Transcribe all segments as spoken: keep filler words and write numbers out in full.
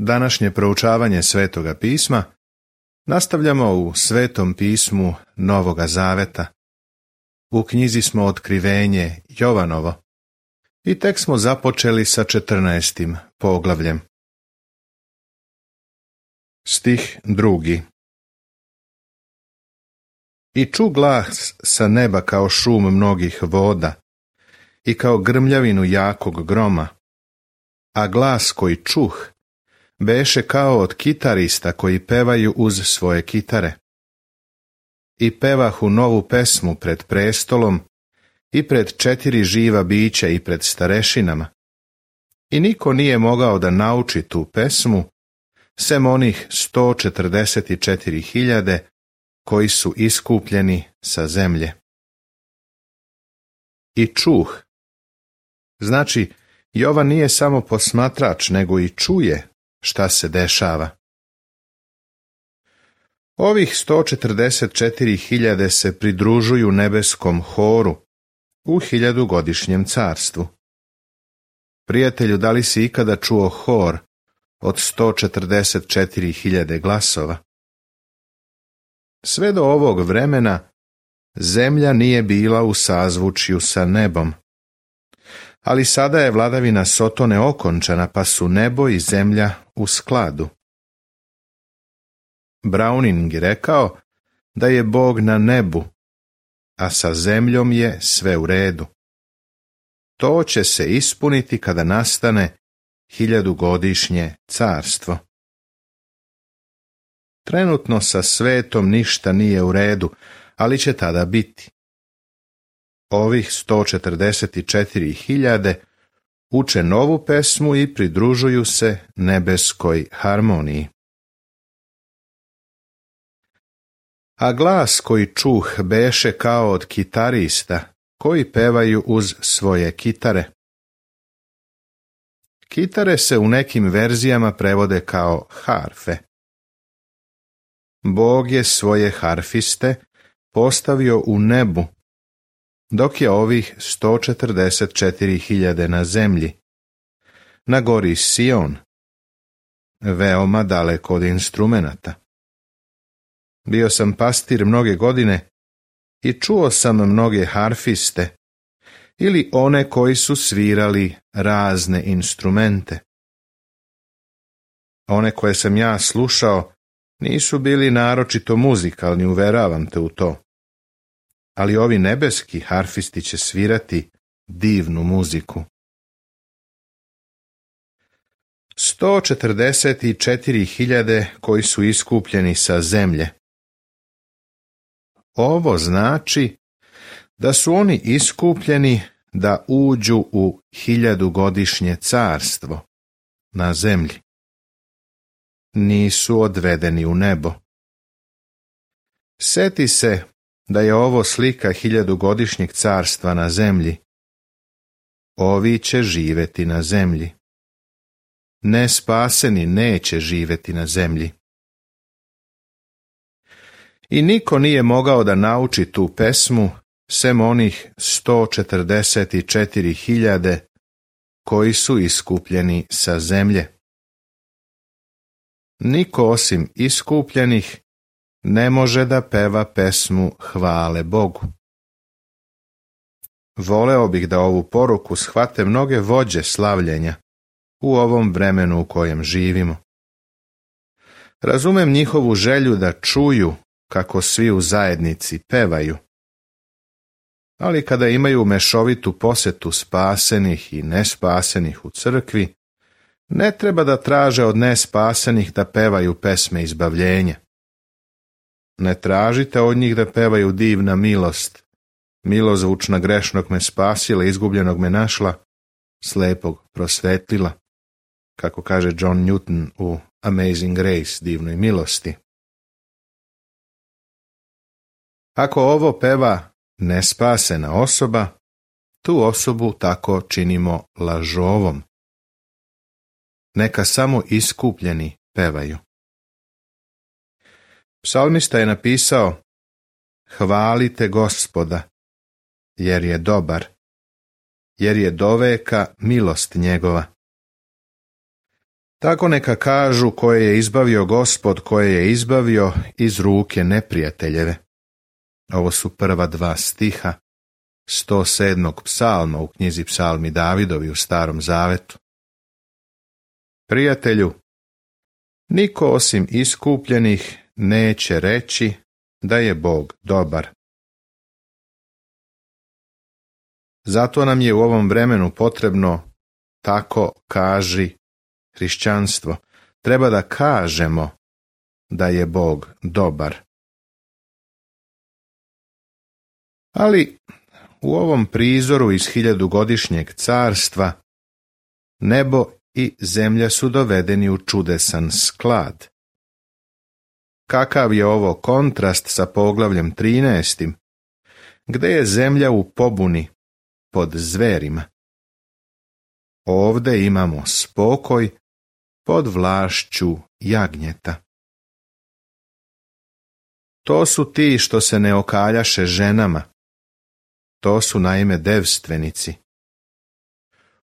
Današnje proučavanje Svetoga pisma nastavljamo u Svetom pismu Novoga Zaveta. U knjizi smo Otkrivenje Jovanovo i tek smo započeli sa četrnaestim poglavljem. Stih drugi. I ču glas sa neba kao šum mnogih voda i kao grmljavinu jakog groma, a glas koji čuh beše kao od kitarista koji pevaju uz svoje kitare. I pevahu novu pesmu pred prestolom i pred četiri živa bića i pred starešinama. I niko nije mogao da nauči tu pesmu, sem onih sto četrdeset četiri hiljade koji su iskupljeni sa zemlje. I čuh. Znači, Jovan nije samo posmatrač, nego i čuje šta se dešava. Ovih sto četrdeset četiri hiljade se pridružuju nebeskom horu u hiljadugodišnjem carstvu. Prijatelju, da li si ikada čuo hor od sto četrdeset četiri hiljade glasova? Sve do ovog vremena zemlja nije bila u sazvučju sa nebom. Ali sada je vladavina Sotone okončana, pa su nebo i zemlja u skladu. Browning je rekao da je Bog na nebu, a sa zemljom je sve u redu. To će se ispuniti kada nastane hiljadugodišnje carstvo. Trenutno sa svetom ništa nije u redu, ali će tada biti. Ovih sto četrdeset četiri hiljade uče novu pesmu i pridružuju se nebeskoj harmoniji. A glas koji čuh beše kao od kitarista koji pevaju uz svoje kitare. Kitare se u nekim verzijama prevode kao harfe. Bog je svoje harfiste postavio u nebu, dok je ovih sto četrdeset četiri hiljade na zemlji, na gori Sion, veoma daleko od instrumenata. Bio sam pastir mnoge godine i čuo sam mnoge harfiste ili one koji su svirali razne instrumente. One koje sam ja slušao nisu bili naročito muzikalni, uveravam te u to. Ali ovi nebeski harfisti će svirati divnu muziku. sto četrdeset četiri hiljade koji su iskupljeni sa zemlje. Ovo znači da su oni iskupljeni da uđu u hiljadugodišnje carstvo na zemlji. Nisu odvedeni u nebo. Seti se da je ovo slika hiljadugodišnjeg carstva na zemlji. Ovi će živjeti na zemlji. Nespaseni neće živjeti na zemlji. I niko nije mogao da nauči tu pesmu, sem onih sto četrdeset četiri hiljade koji su iskupljeni sa zemlje. Niko osim iskupljenih ne može da peva pesmu hvale Bogu. Voleo bih da ovu poruku shvate mnoge vođe slavljenja u ovom vremenu u kojem živimo. Razumem njihovu želju da čuju kako svi u zajednici pevaju. Ali kada imaju mešovitu posetu spasenih i nespasenih u crkvi, ne treba da traže od nespasenih da pevaju pesme izbavljenja. Ne tražite od njih da pevaju divna milost, milozvučna grešnog me spasila, izgubljenog me našla, slepog prosvetlila, kako kaže John Newton u Amazing Grace, divnoj milosti. Ako ovo peva nespasena osoba, tu osobu tako činimo lažovom. Neka samo iskupljeni pevaju. Psalmista je napisao: hvalite Gospoda, jer je dobar, jer je doveka milost njegova. Tako neka kažu koje je izbavio Gospod, koje je izbavio iz ruke neprijateljeve. Ovo su prva dva stiha sto sedmog psalma u knjizi Psalmi Davidovi u Starom Zavetu. Prijatelju, niko osim iskupljenih neće reći da je Bog dobar. Zato nam je u ovom vremenu potrebno tako kaži hrišćanstvo. Treba da kažemo da je Bog dobar. Ali u ovom prizoru iz hiljadugodišnjeg carstva nebo i zemlja su dovedeni u čudesan sklad. Kakav je ovo kontrast sa poglavljem trinaestim, gde je zemlja u pobuni pod zverima. Ovde imamo spokoj pod vlašću jagnjeta. To su ti što se ne okaljaše ženama. To su naime devstvenici.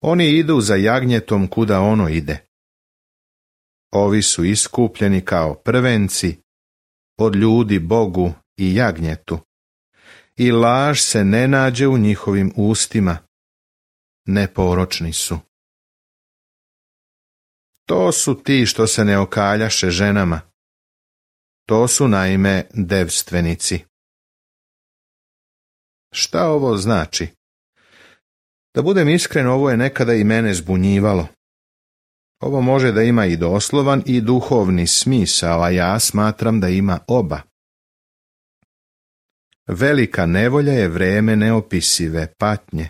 Oni idu za jagnjetom kuda ono ide. Ovi su iskupljeni kao prvenci od ljudi Bogu i jagnjetu. I laž se ne nađe u njihovim ustima. Neporočni su. To su ti što se ne okaljaše ženama. To su naime devstvenici. Šta ovo znači? Da budem iskren, ovo je nekada i mene zbunjivalo. Ovo može da ima i doslovan i duhovni smisao, a ja smatram da ima oba. Velika nevolja je vreme neopisive patnje.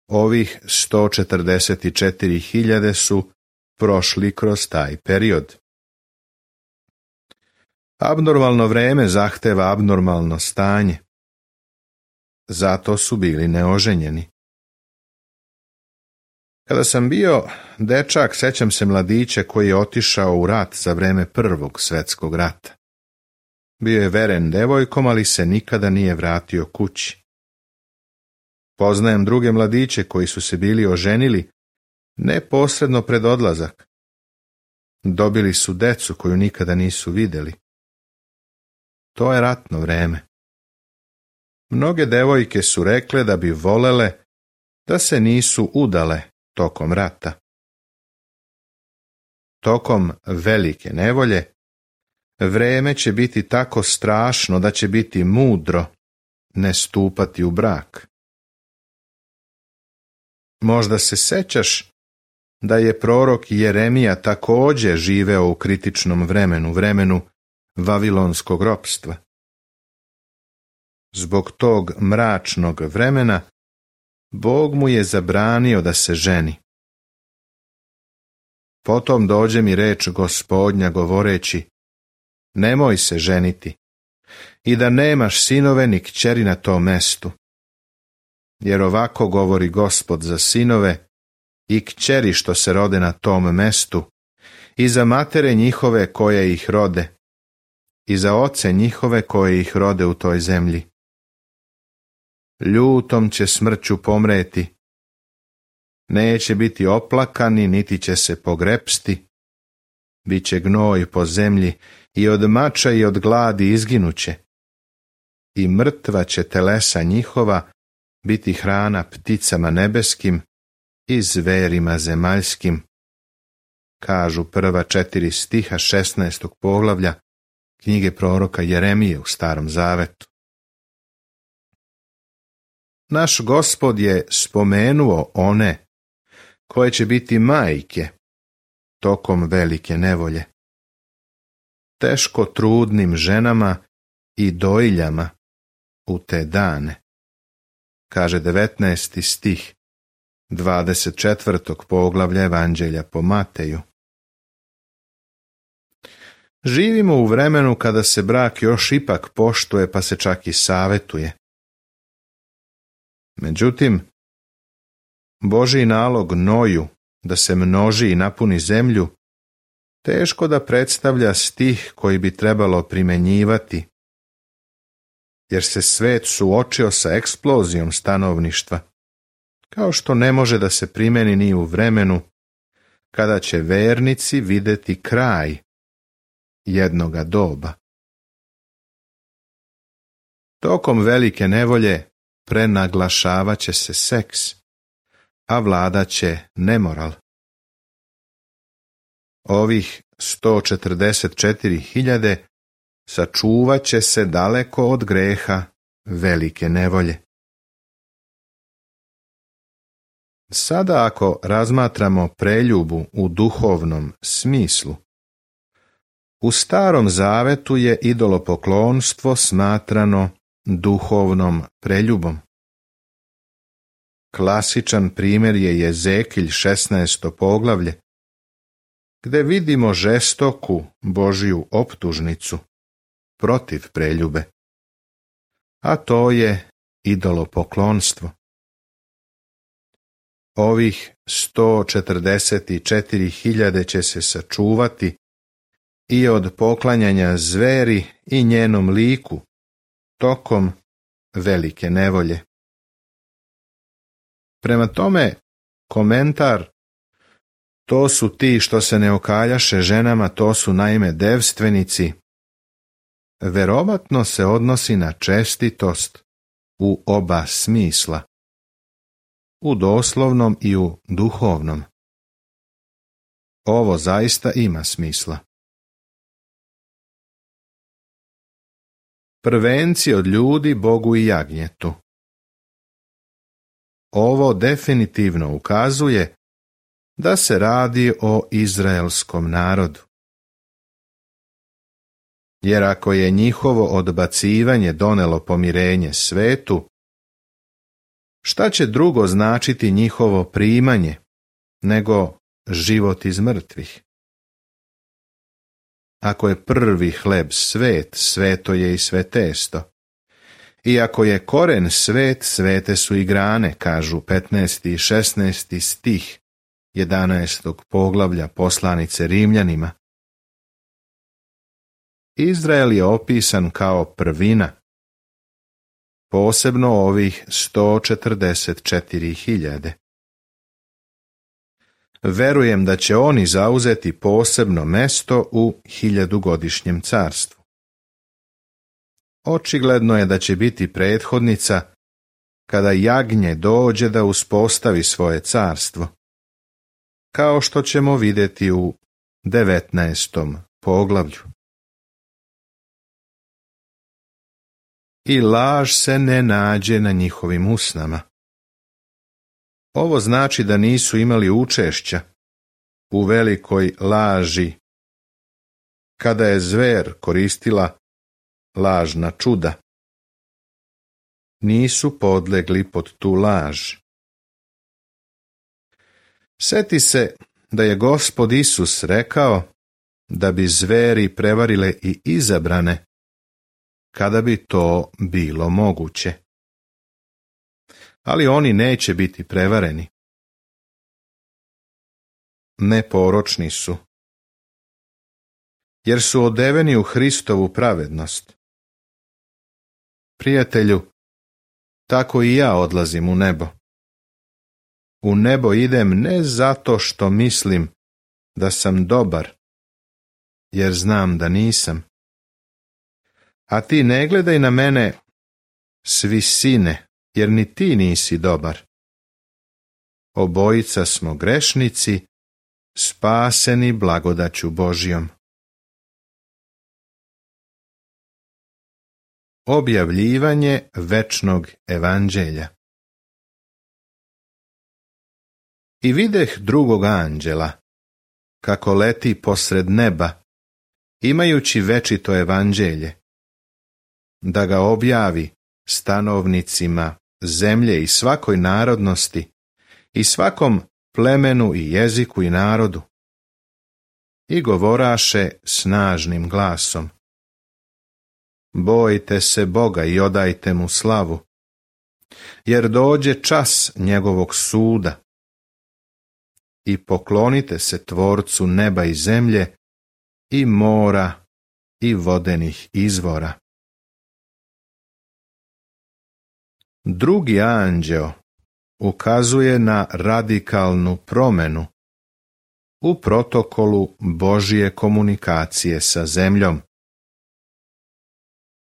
Ovih sto četrdeset četiri hiljade su prošli kroz taj period. Abnormalno vreme zahteva abnormalno stanje. Zato su bili neoženjeni. Kada sam bio dečak, sećam se mladića koji je otišao u rat za vreme Prvog svjetskog rata. Bio je veren devojkom, ali se nikada nije vratio kući. Poznajem druge mladiće koji su se bili oženili neposredno pred odlazak. Dobili su decu koju nikada nisu vidjeli. To je ratno vreme. Mnoge devojke su rekle da bi volele da se nisu udale tokom rata. Tokom velike nevolje vreme će biti tako strašno da će biti mudro ne stupati u brak. Možda se sećaš da je prorok Jeremija također živeo u kritičnom vremenu, vremenu vavilonskog ropstva. Zbog tog mračnog vremena Bog mu je zabranio da se ženi. Potom dođe mi reč Gospodnja govoreći: nemoj se ženiti i da nemaš sinove ni kćeri na tom mestu. Jer ovako govori Gospod za sinove i kćeri što se rode na tom mestu, i za matere njihove koje ih rode, i za oce njihove koje ih rode u toj zemlji. Ljutom će smrću pomreti, neće biti oplakani, niti će se pogrepsti, bit će gnoj po zemlji i od mača i od gladi izginuće, i mrtva će telesa njihova biti hrana pticama nebeskim i zverima zemaljskim, kažu prva četiri stiha šesnaestog poglavlja knjige proroka Jeremije u Starom Zavetu. Naš Gospod je spomenuo one koje će biti majke tokom velike nevolje, teško trudnim ženama i dojiljama u te dane, kaže devetnaesti stih dvadeset četvrtog poglavlja Evanđelja po Mateju. Živimo u vremenu kada se brak još ipak poštuje, pa se čak i savetuje. Međutim, Božji nalog Noju da se množi i napuni zemlju teško da predstavlja stih koji bi trebalo primenjivati, jer se svet suočio sa eksplozijom stanovništva, kao što ne može da se primeni ni u vremenu kada će vernici vidjeti kraj jednoga doba. Tokom velike nevolje prenaglašavat će se seks, a vladat će nemoral. Ovih sto četrdeset četiri hiljade sačuvat će se daleko od greha velike nevolje. Sada ako razmatramo preljubu u duhovnom smislu, u Starom Zavetu je idolopoklonstvo smatrano duhovnom preljubom. Klasičan primjer je Jezekilj šesnaesto poglavlje, gdje vidimo žestoku Božju optužnicu protiv preljube, a to je idolopoklonstvo. Ovih sto četrdeset četiri hiljade će se sačuvati i od poklanjanja zveri i njenom liku tokom velike nevolje. Prema tome, komentar: to su ti što se ne okaljaše ženama, to su naime devstvenici, verovatno se odnosi na čestitost u oba smisla, u doslovnom i u duhovnom. Ovo zaista ima smisla. Prvenci od ljudi Bogu i jagnjetu. Ovo definitivno ukazuje da se radi o izraelskom narodu. Jer ako je njihovo odbacivanje donelo pomirenje svetu, šta će drugo značiti njihovo primanje nego život iz mrtvih? Ako je prvi hleb svet, sveto je i sve testo. I ako je koren svet, svete su i grane, kažu petnaesti i šesnaesti stih jedanaestog poglavlja poslanice Rimljanima. Izrael je opisan kao prvina, posebno ovih sto četrdeset četiri hiljade. Verujem da će oni zauzeti posebno mesto u hiljadugodišnjem carstvu. Očigledno je da će biti prethodnica kada jagnje dođe da uspostavi svoje carstvo, kao što ćemo vidjeti u devetnaestom poglavlju. I laž se ne nađe na njihovim usnama. Ovo znači da nisu imali učešća u velikoj laži, kada je zver koristila lažna čuda. Nisu podlegli pod tu laž. Seti se da je Gospod Isus rekao da bi zveri prevarile i izabrane, kada bi to bilo moguće. Ali oni neće biti prevareni. Neporočni su, jer su odeveni u Hristovu pravednost. Prijatelju, tako i ja odlazim u nebo. U nebo idem ne zato što mislim da sam dobar, jer znam da nisam. A ti ne gledaj na mene s visine, jer ni ti nisi dobar. Obojica smo grešnici, spaseni blagodaću Božjom. Objavljivanje večnog evanđelja. I videh drugog anđela, kako leti posred neba, imajući večito evanđelje, da ga objavi stanovnicima zemlje i svakoj narodnosti i svakom plemenu i jeziku i narodu. I govoraše snažnim glasom: bojte se Boga i odajte mu slavu, jer dođe čas njegovog suda. I poklonite se Tvorcu neba i zemlje, i mora, i vodenih izvora. Drugi anđeo ukazuje na radikalnu promjenu u protokolu Božije komunikacije sa zemljom.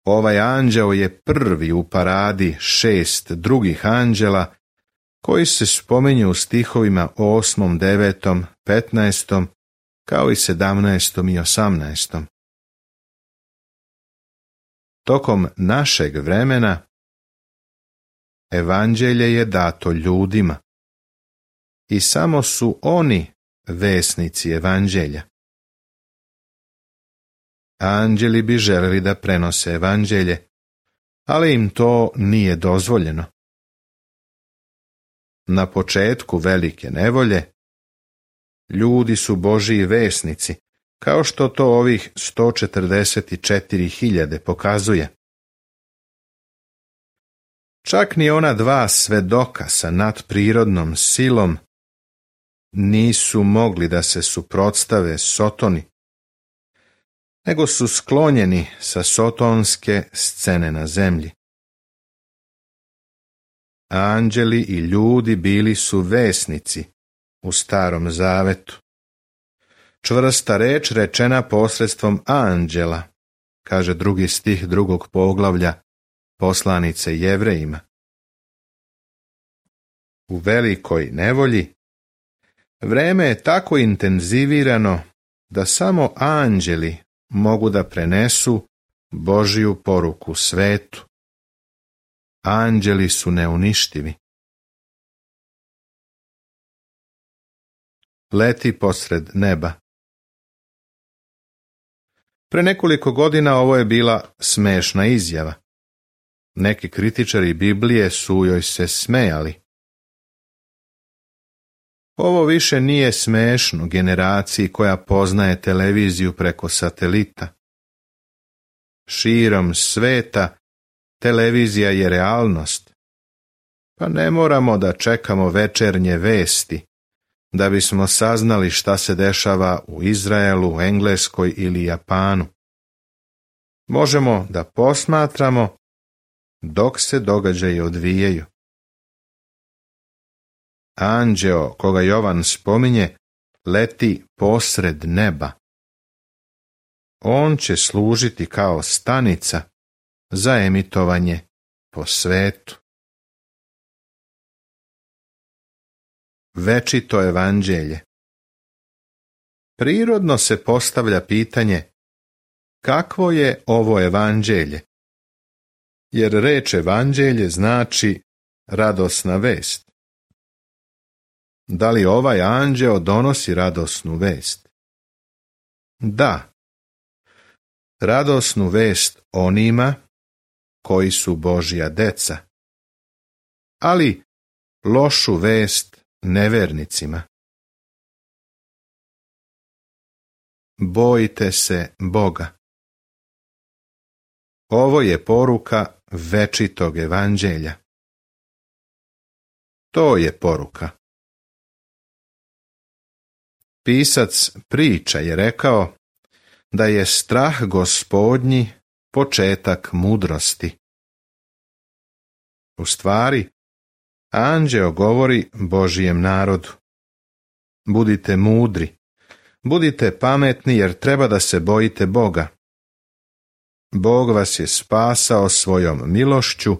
Ovaj anđeo je prvi u paradi šest drugih anđela koji se spominju u stihovima osmom, devetom, petnaestom, kao i sedamnaestom i osamnaestom. Tokom našeg vremena evanđelje je dato ljudima i samo su oni vesnici evanđelja. Anđeli bi želeli da prenose evanđelje, ali im to nije dozvoljeno. Na početku velike nevolje ljudi su Božiji vesnici, kao što to ovih sto četrdeset četiri hiljade pokazuje. Čak ni ona dva svedoka sa nadprirodnom silom nisu mogli da se suprotstave Sotoni, nego su sklonjeni sa sotonske scene na zemlji. Anđeli i ljudi bili su vesnici u Starom Zavetu. Čvrsta reč rečena posredstvom anđela, kaže drugi stih drugog poglavlja poslanice Jevrejima. U velikoj nevolji vreme je tako intenzivirano da samo anđeli mogu da prenesu Božiju poruku svetu. Anđeli su neuništivi. Leti posred neba. Pre nekoliko godina ovo je bila smešna izjava. Neki kritičari Biblije su joj se smejali. Ovo više nije smešno generaciji koja poznaje televiziju preko satelita. Širom sveta televizija je realnost, pa ne moramo da čekamo večernje vesti da bismo saznali šta se dešava u Izraelu, Engleskoj ili Japanu. Možemo da posmatramo dok se događaji odvijaju. Anđeo, koga Jovan spominje, leti posred neba. On će služiti kao stanica za emitovanje po svetu. Večito evanđelje. Prirodno se postavlja pitanje kakvo je ovo evanđelje, jer reč evanđelje znači radosna vest. Da li ovaj anđeo donosi radosnu vest? Da. Radosnu vest onima koji su Božja deca, ali lošu vest nevernicima. Bojte se Boga. Ovo je poruka večitog evanđelja. To je poruka. Pisac priča je rekao da je strah Gospodnji početak mudrosti. U stvari, anđeo govori Božijem narodu. Budite mudri, budite pametni jer treba da se bojite Boga. Bog vas je spasao svojom milošću,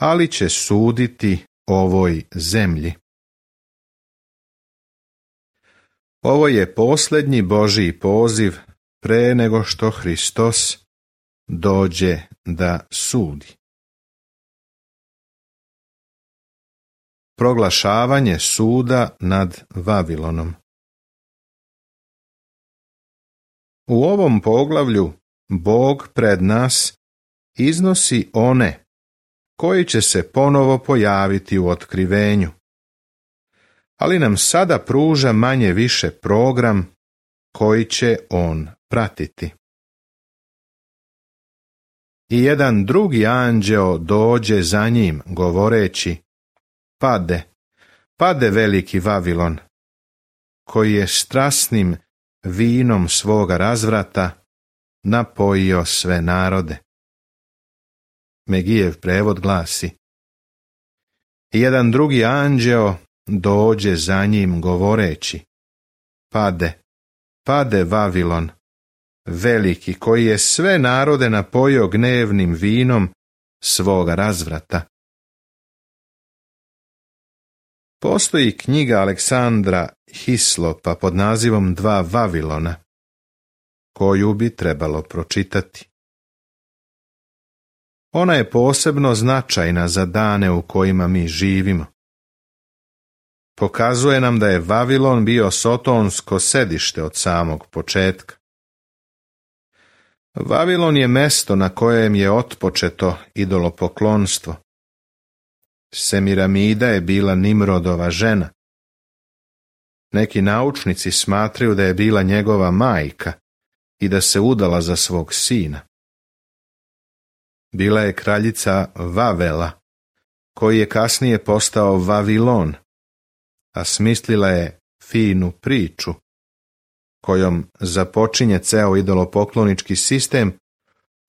ali će suditi ovoj zemlji. Ovo je posljednji Božji poziv pre nego što Hristos dođe da sudi. Proglašavanje suda nad Vavilonom. U ovom poglavlju Bog pred nas iznosi one koji će se ponovo pojaviti u otkrivenju, ali nam sada pruža manje više program koji će on pratiti. I jedan drugi anđeo dođe za njim govoreći: Pade, pade veliki Vavilon, koji je strasnim vinom svoga razvrata napojio sve narode. Megijev prevod glasi: I jedan drugi anđeo dođe za njim govoreći: pade, pade Vavilon, veliki koji je sve narode napojio gnevnim vinom svoga razvrata. Postoji knjiga Aleksandra Hislopa pod nazivom Dva Vavilona, koju bi trebalo pročitati. Ona je posebno značajna za dane u kojima mi živimo. Pokazuje nam da je Vavilon bio sotonsko sedište od samog početka. Vavilon je mesto na kojem je otpočeto idolopoklonstvo. Semiramida je bila Nimrodova žena. Neki naučnici smatraju da je bila njegova majka i da se udala za svog sina. Bila je kraljica Vavela, koji je kasnije postao Vavilon, a smislila je finu priču, kojom započinje ceo idolopoklonički sistem,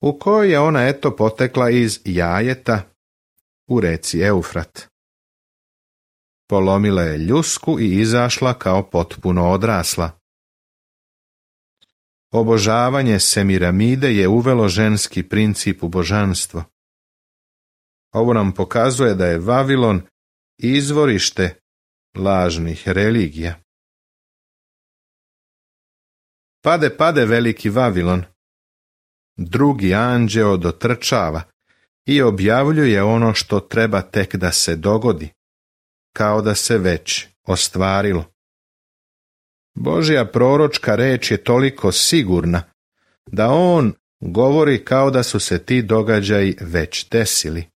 u kojoj je ona eto potekla iz jajeta u reci Eufrat. Polomila je ljusku i izašla kao potpuno odrasla. Obožavanje Semiramide je uvelo ženski princip u božanstvo. Ovo nam pokazuje da je Vavilon izvorište lažnih religija. Pade, pade veliki Vavilon. Drugi anđeo dotrčava i objavljuje ono što treba tek da se dogodi, kao da se već ostvarilo. Božja proročka reč je toliko sigurna da on govori kao da su se ti događaji već desili.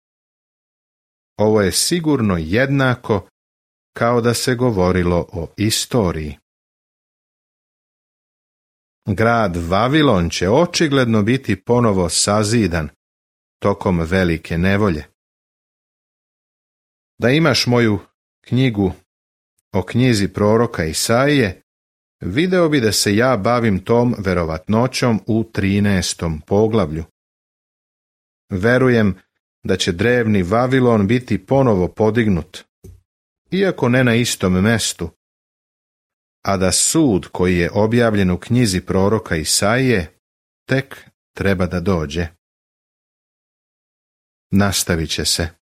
Ovo je sigurno jednako kao da se govorilo o istoriji. Grad Vavilon će očigledno biti ponovo sazidan tokom velike nevolje. Da imaš moju knjigu o knjizi proroka Isaije, video bi da se ja bavim tom verovatnoćom u trinaestom poglavlju. Verujem da će drevni Vavilon biti ponovo podignut, iako ne na istom mestu, a da sud koji je objavljen u knjizi proroka Isaije tek treba da dođe. Nastavit će se.